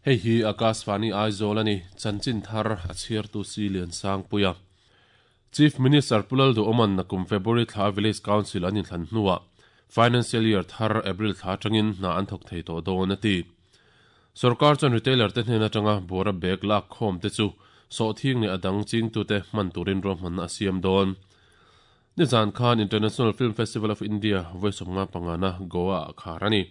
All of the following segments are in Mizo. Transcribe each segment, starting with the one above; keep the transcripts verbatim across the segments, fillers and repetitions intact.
Hei hi Akashvani Aizawl ani chanchin thar a chhiartu si lian sang puia. Chief Minister Pulal du Oman nakum February thla Village Council anin thlan hnuwa Financial Year thar April thla tangin na an thok thei to dawn ati. Sarkar chuan retailer te hnena tanga bora bag lak khom te chu so thing le adang ching tu te man turin ro man a siam dawn. Nizan Khan International Film Festival of India voice nga pangana Goa kharani.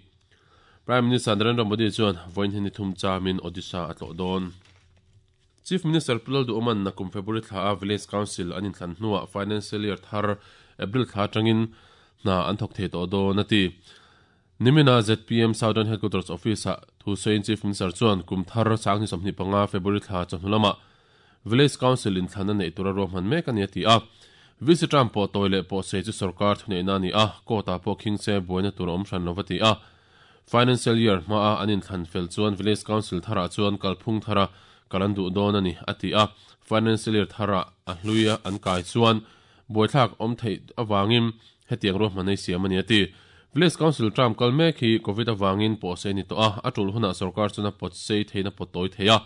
Prime Minister Narendra Modi chuan voin hini thum chamin Odisha atlo don. Chief Minister Pulal du Oman nakum February thla Village Council anin thlan hnuwa Financial Year thar April thla tangin na an thok thei to don ati. Nimina Z P M Southern Headquarters Office thu soin Chief Minister chuan kum thar sangni somni panga February thla chonhulama Village Council in thlana nei tura ro man mek ani ati a. Visitram po toile po se chu sarkar thunei na ni a kota po khingse boina tur om hran lovati a. Financial Year ma a anin thlan fel chuan Village Council thara chuan kalphung thara kalandu don ani ati a. Financial Year thara a hluia an kai chuan boithlak om thei awangin hetiang ro manei siam ani ati. Village Council tram kalme khi COVID awangin po se ni to a atul huna sarkar chuna pot sei theina potoi theia.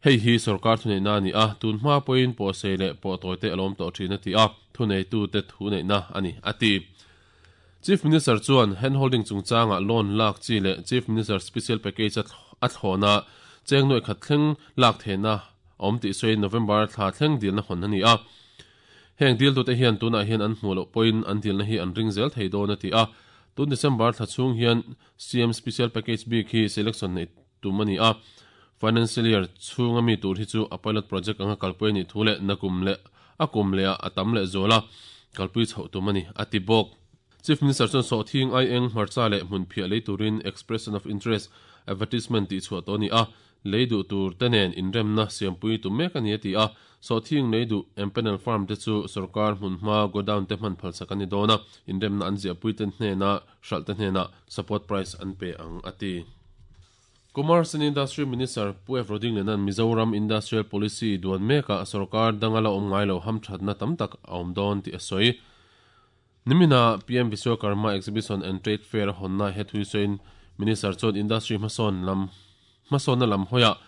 Hei hi sarkar thunei na ni a tun hma poin po se le po toite alom to thina ti a thunei tu te thunei na ani ati. Chief Minister chuan handholding chungchanga loan lak chi le Chief Minister Special Package a thlona cheng noi khat thleng lak thena om ti soi November thla thleng dil na hon ani a. Heng dil tu te hian tuna hian an hmulo point an dil na hi an ring zel thei don ati a. Tun December thla chung hian C M Special Package B khi selection nei tumani a. Financial Year chunga mi tur hi chu a pilot project anga kalpui ni thule nakum le akum le atam le zola kalpui chho tumani ati bok. Chief Minister chuan so thing ai eng hmarcha le hmun phia lei turin expression of interest advertisement ti chhuah to ni a leidu tur tenen inremna siampui tu mek ani ati a. So thing leidu empanel farm te chu sarkar hmun hma godown te hman phal sakani dona inremna an zia pui ten hnena hral te hnena support price an pe ang ati. Commerce and Industry Minister Pu F Roding lenan Mizoram Industrial Policy duan meka sarkar dangala om ngailo ham thatna tamtak awm don ti asoi. Nimina P M Vishwakarma Exhibition and Trade Fair honna hethui soin Minister chuan industry mason lam mason na lam hoya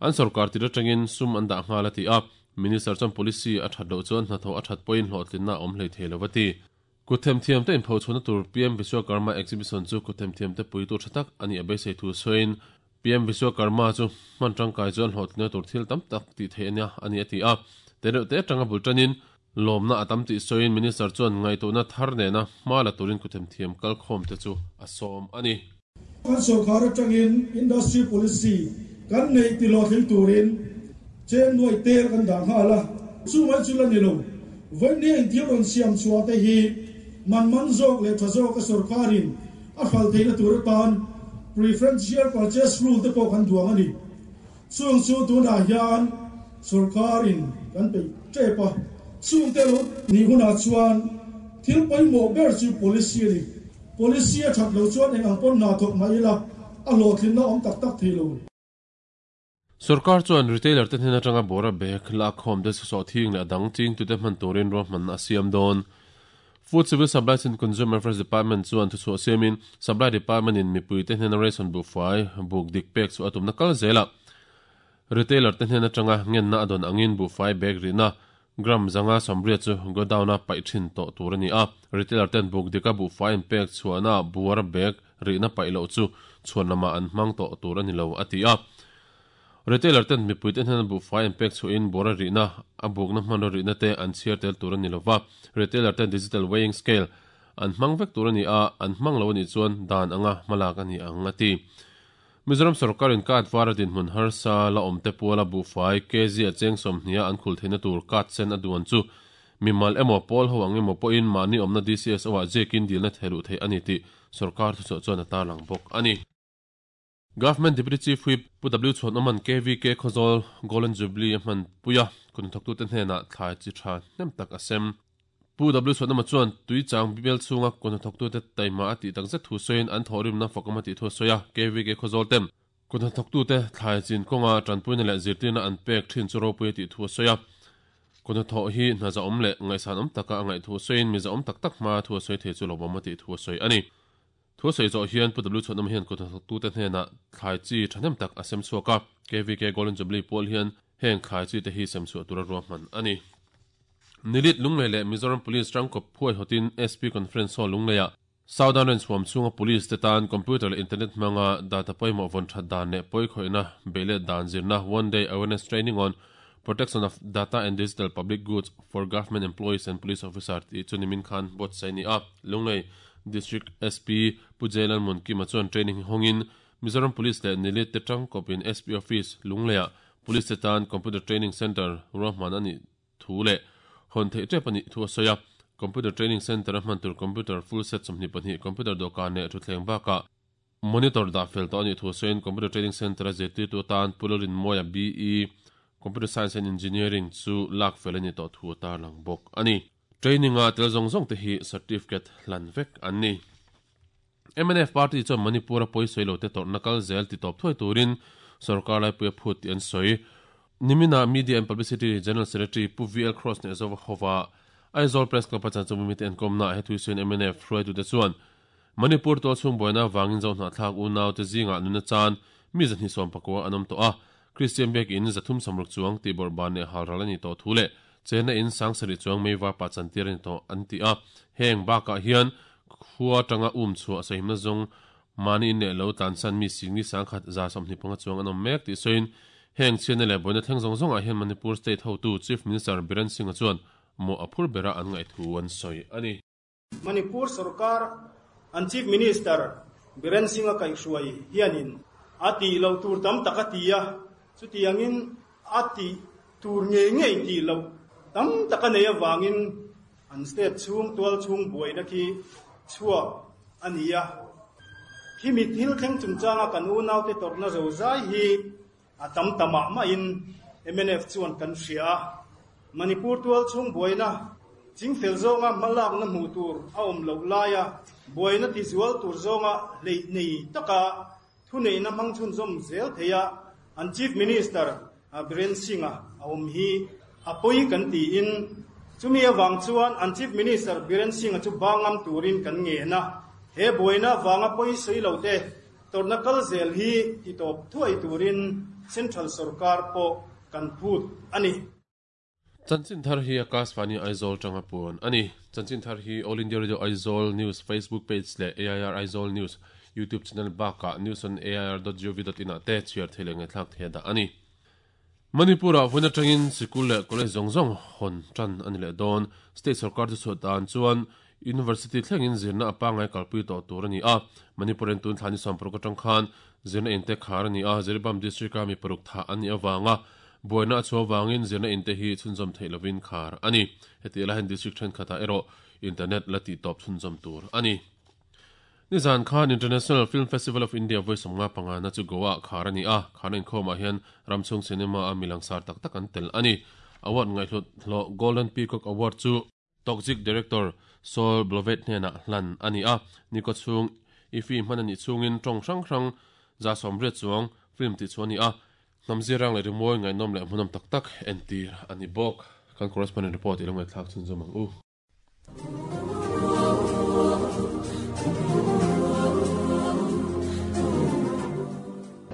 an sarkar tira tangin sum an da ngala ti a. Minister chuan policy a that lo chuan hna tho a that point hlawhtlin na awm hlei thei lovati. Kuthem thiam te in pho chuna tur P M Vishwakarma Exhibition chu kuthem thiam te pui tur thatak ani abe sei thu soin P M Vishwakarma chu man tangkai chuan hlawhtlin tur thil tam tak ti thei ania ani ati a. Te te tanga bultanin lomna atam ti soin Minister chuan ngai to na thar ne na mala turin kuthem thiam kal khom te chu asom ani. Kan sarkar atangin industry policy kan nei ti lo thil turin chen noi tel kan dang hala chu mai chu la ni lo voi ni in thil ron siam chua te hi man man zok le tha zok a sarkarin a phal theina tur tan preferential purchase rule te pawh kan duang ani chung chu tuna hian sarkarin kan pe trepa chung te lo ni huna chuan thil paimo ber chu policy ni policy a that lo chuan eng ang pon na thok mai la a lo thlin na om tak tak thei lo. Sarkar chuan retailer te hnena tanga bora bag la khom de so thing le adang ching tu te man turin ro man a siam don. Food Civil Supplies and Consumer Affairs Department chuan thu chu siamin Supply Department in mipui te hnena ration bu fai buk dik pek chu atum na kal zela. Retailer te hnena tanga ngen na adon angin bu fai bag rina gram zanga somria chu godown a pai thin to tur ani a. Retailer ten buk dika bu fai en pek chuana buar bag rina pai lo chu chuan lama an hmang to tur ani lo ati a. Retailer ten mipui ten han bu fai en pek chu in bora rina a buk na hman rina te an chiar tel tur ani lova. Retailer ten digital weighing scale an hmang vek tur ani a an hmang lo ani chuan dan anga malak ani ang ati. Mizoram sarkarin kat varadin hmun harsa la omte puala bu fai kg a cheng som hnia an khul theina tur kat sen a duan chu mimal emo pol ho ang emo poin mani omna D C S o a jekin dilna thelu thei ani ti sarkar thu chu chuan ata lang bok ani. Government Deputy Chief Whip Pu W Chhuan Oman K V K Khawzawl Golden Jubilee hman puia kun thoktu te hnena thlai chi tha hnem tak asem. Pu W Chhuan Oma chuan tui chang bibel chunga kun thoktu te taima ati takzet thu soin an thorim na fokama ti thu soya K V K Khawzawl tem kun thoktu te thlai chin konga tanpuina le zirtina an pek thin chu ropui ti thu soya kun tho hi hna za om le ngaisan om taka angai thu soin mi za om tak tak ma thu soi the chu lobama ti thu soi ani. Thu Thu sei zo hian Pu W Chhuanawma hian kuthnathawktu te hnena thlai chi thahnem tak a sem chhuak a. K V K Golden Jubilee pawl hian heng thlai chi te hi sem chhuah tura ruahman ani. Nilit Lunglei leh Mizoram Police tangkawp phuai hotin S P Conference Hall Lungleia Southern Range huam chhunga police te tan computer leh internet hmanga data pawimawh vawn that dan leh pawikhawihnna beih dan zirna one day awareness training on protection of data and digital public goods for government employees and police officer tih chu nimin khan buatsaih a ni a. Lunglei District S P Pu Jailan Munkima chuan training hi hawngin Mizoram Police leh Nilit te tangkawpin S P Office Lungleia Police te tan Computer Training Center ruahman a nih thu leh hawn theih tep a nih thu a sawi a. Computer Training Center a hman tur computer full set sawmhnih pahnih computer dawhkan leh thutthleng bakah monitor dah fel tawh a nih thu a sawiin Computer Training Center a zirtirtu atan Pu Lalrinmawia B E Computer Science and Engineering chu lak fel a ni tawh thu a tarlang bawk a ni. Training a tel zawng zawng te hi certificate hlan vek an ni. M N F Party chuan Manipur a pawisawi lo te tawrhna kal zel ti tawp thuai turin sarkar laipui a phut tih an sawi. Nimina Media and Publicity General Secretary Pu V L Cross ne Zova Hova Aizawl Press Club a chan chu mimite an kawmna he thuisuin M N F hruaitu te chuan Manipur tual chhung buaina wangin zo hna thlak u nau te zinga nuna chan mi zahnih sawm pakua an awm tawh a. Christian Bek in zathum samruk chuang ti bawrhban leh halral a ni tawh thu leh chena in sangsari chuang meivar pa chantir a ni tawh an ti a. Heng bakah hian khua tanga um chhuah sahimna zawng mani in leh lo tlansan mi singni sangkhat za sawmhnih panga chuang an awm mek tih sawiin heng chhiatna leh buaina thleng zawng zawngah hian Manipur State hotu Chief Minister Biren Singh a chuan mo a phur bera an ngaih thu an sawi a ni. Manipur sarkar an Chief Minister Biren Singh a kaihhruai hianin a ti lo tur tam tak a ti a, chutiangin a ti tur ngei ngei ti lo tam tak a nei awangin an state chhung tual chhung buaina khi chhuak a ni a. Khi mi thil thleng chungchanga kan u naute tawrhna zo zai hi a tam tamah mahin M N F chuan kan hria a. Manipur tual chhung buaina chingfel zawnga hmalakna hmuh tur a awm loh laia buaina ti zual tur zawnga hlei nei taka thu neihna hmang chhunzawm zel theia an Chief Minister Biren Singh a awm hi a pawi kan tiin chumi awang chuan an Chief Minister Biren Singh a chu bangam turin kan nge na. He buaina wanga pawi sawi lo te tawrhna kal zel hi ti tawp thuai turin Central Sarkar pawh kan phut a ni. Chanchin thar hi Akashvani Aizawl tanga puan ani. Chanchin thar hi All India Radio Aizawl News Facebook page leh A I R Aizawl News YouTube channel baka news on A I R dot gov dot in a te chhiar thei leh ngaithlak thei da ani. Manipur a vuna tangin sikul leh college zawng zawng hawn tan ani leh dawn. State sarkar chu chhuah dan chuan University thlengin zirna a pangai kalpui tawh tur ani a. Manipurin tun thlani sawmparuk atang khan zirna in te khar ani a. Jiribam district a mi paruk tha ani awanga buaina a chhuah wangin zirna in te hi chhunzawm theih lovin khar ani. Heti lahin district thenkhatah erawh internet la tih tawp chhunzawm tur ani. Nizan Khan International Film Festival of India voi sawmnga panga na chu Goa khar ani a. Khana inkhawmah hian ramchhung cinema a milang sar tak tak an tel ani. Award ngaihhlut hlawh Golden Peacock Award chu Toxic Director Saul Blovet hnena hlan ani a. Niko chhung ifi hman ani chhungin tawng hrang hrang za sawmriat chuang film ti chu ani a. Hnamzirang leh rimawi ngaihnawm leh hmunawm tak tak entir ani bawk. Kan correspondent report ilo ngaihthlak chhunzawm ang u.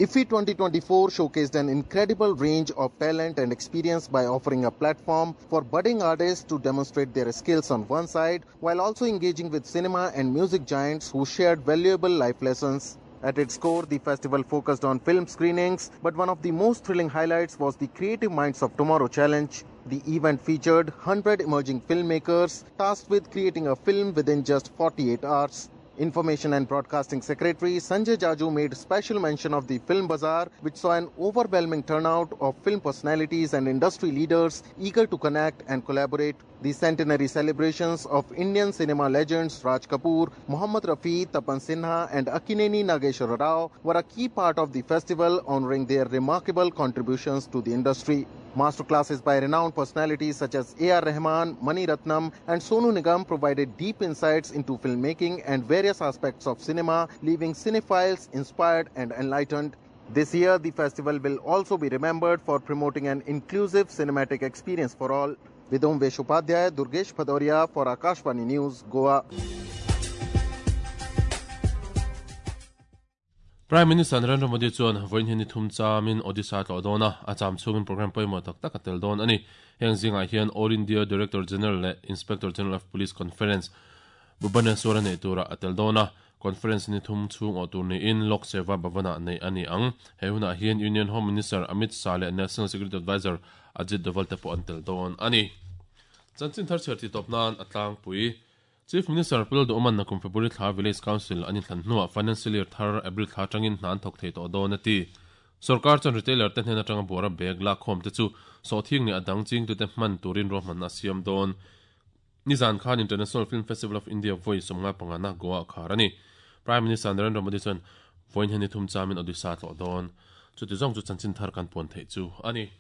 I F F I twenty twenty-four showcased an incredible range of talent and experience by offering a platform for budding artists to demonstrate their skills on one side, while also engaging with cinema and music giants who shared valuable life lessons. At its core, the festival focused on film screenings, but one of the most thrilling highlights was the Creative Minds of Tomorrow Challenge. The event featured one hundred emerging filmmakers tasked with creating a film within just forty-eight hours. Information and Broadcasting Secretary Sanjay Jaju made special mention of the Film Bazaar, which saw an overwhelming turnout of film personalities and industry leaders eager to connect and collaborate. The centenary celebrations of Indian cinema legends Raj Kapoor, Mohammad Rafi, Tapan Sinha and Akkineni Nageswara Rao were a key part of the festival, honoring their remarkable contributions to the industry. Masterclasses by renowned personalities such as A R Rahman, Mani Ratnam and Sonu Nigam provided deep insights into filmmaking and various aspects of cinema, leaving cinephiles inspired and enlightened. This year, the festival will also be remembered for promoting an inclusive cinematic experience for all. Vidom Veshupadhyay, Durgesh Bhadoria for Akashvani News, Goa. Prime Minister Narendra Modi chuan vawiin hi ni thum chamin Odisha tlawh dawn a, a cham chhungin programme pawimawh tak tak a tel dawn a ni. Heng zingah hian All India Director General leh Inspector General of Police Conference Bhubaneswar a neih turah a tel dawn a, conference ni thum chhung awh tur niin Lok Seva Bhavan-ah neih a ni ang. He hunah hian Union Home Minister Amit Shah leh National Security Advisor Ajit Doval te pawh an tel dawn a ni. Chanchin thar chhiar tih tawp nan a tlangpui. Chief Minister Pu Lalduhawman nakum February thla Village Council an inthlan hnuah Financial Year thar April thla atangin hna an thawk thei tawh dawn a ti. Sorkar chuan retailer te hnen atanga buara bag lakkhawm te chu sawhthing leh a dang chingtute hman turin ruahmanna a siam dawn. Nizan khan International Film Festival of India vawi sawmnga pangana Goa a khar a ni. Prime Minister Narendra Modi chuan vawiin hian ni thum chamin Odisha tlawh dawn. Chuti zawng chu chanchin thar kan puan theih chu a ni.